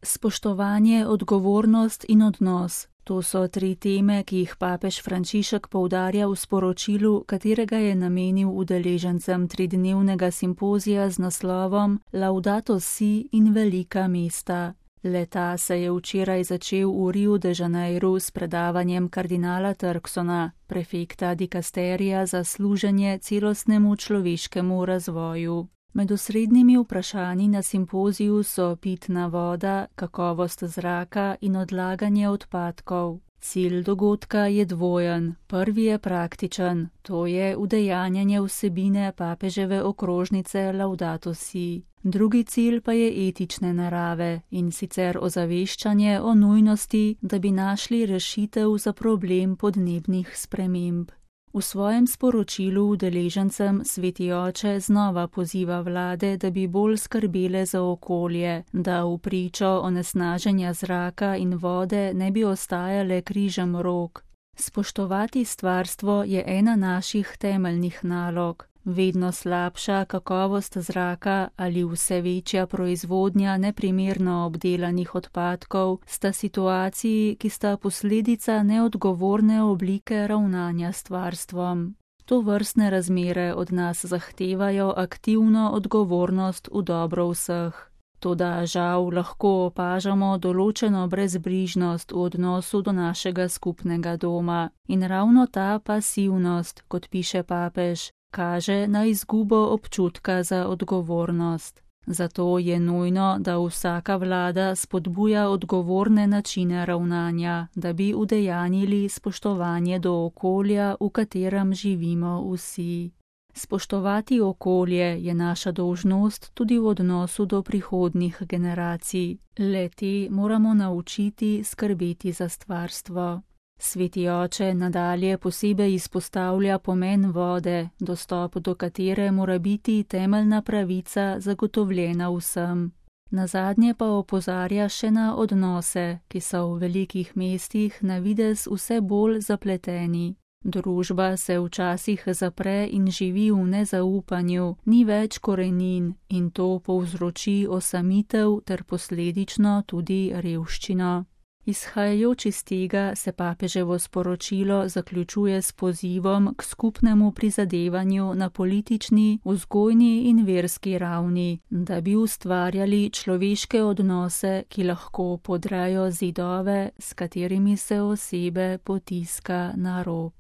Spoštovanje, odgovornost in odnos. To so 3 teme, ki jih papež Frančišek poudarja v sporočilu, katerega je namenil udeležencem 3-dnevnega simpozija z naslovom Laudato si in velika mesta. Le-ta se je včeraj začel v Riu de Janeiru s predavanjem kardinala Turksona, prefekta dikasterija za služenje celostnemu človeškemu razvoju. Med osrednjimi vprašanji na simpoziju so pitna voda, kakovost zraka in odlaganje odpadkov. Cilj dogodka je dvojen. Prvi je praktičen, to je udejanjanje vsebine papeževe okrožnice Laudato si. Drugi cilj pa je etične narave, in sicer ozaveščanje o nujnosti, da bi našli rešitev za problem podnebnih sprememb. V svojem sporočilu udeležencem Sveti oče znova poziva vlade, da bi bolj skrbele za okolje, da v pričo onesnaženja zraka in vode ne bi ostajale križem rok. Spoštovati stvarstvo je ena naših temeljnih nalog. Vedno slabša kakovost zraka ali vse večja proizvodnja neprimerno obdelanih odpadkov sta situaciji, ki sta posledica neodgovorne oblike ravnanja s stvarstvom. Tovrstne razmere od nas zahtevajo aktivno odgovornost v dobro vseh. Toda žal lahko opažamo določeno brezbrižnost v odnosu do našega skupnega doma. In ravno ta pasivnost, kot piše papež, kaže na izgubo občutka za odgovornost. Zato je nujno, da vsaka vlada spodbuja odgovorne načine ravnanja, da bi udejanjili spoštovanje do okolja, v katerem živimo vsi. Spoštovati okolje je naša dolžnost tudi v odnosu do prihodnjih generacij. Le-te moramo naučiti skrbeti za stvarstvo. Sveti oče nadalje posebej izpostavlja pomen vode, dostop do katere mora biti temeljna pravica zagotovljena vsem. Nazadnje pa opozarja še na odnose, ki so v velikih mestih na videz vse bolj zapleteni. Družba se včasih zapre in živi v nezaupanju, ni več korenin in to povzroči osamitev ter posledično tudi revščino. Izhajajoč iz tega se papeževo sporočilo zaključuje s pozivom k skupnemu prizadevanju na politični, vzgojni in verski ravni, da bi ustvarjali človeške odnose, ki lahko podrajo zidove, s katerimi se osebe potiska na rob.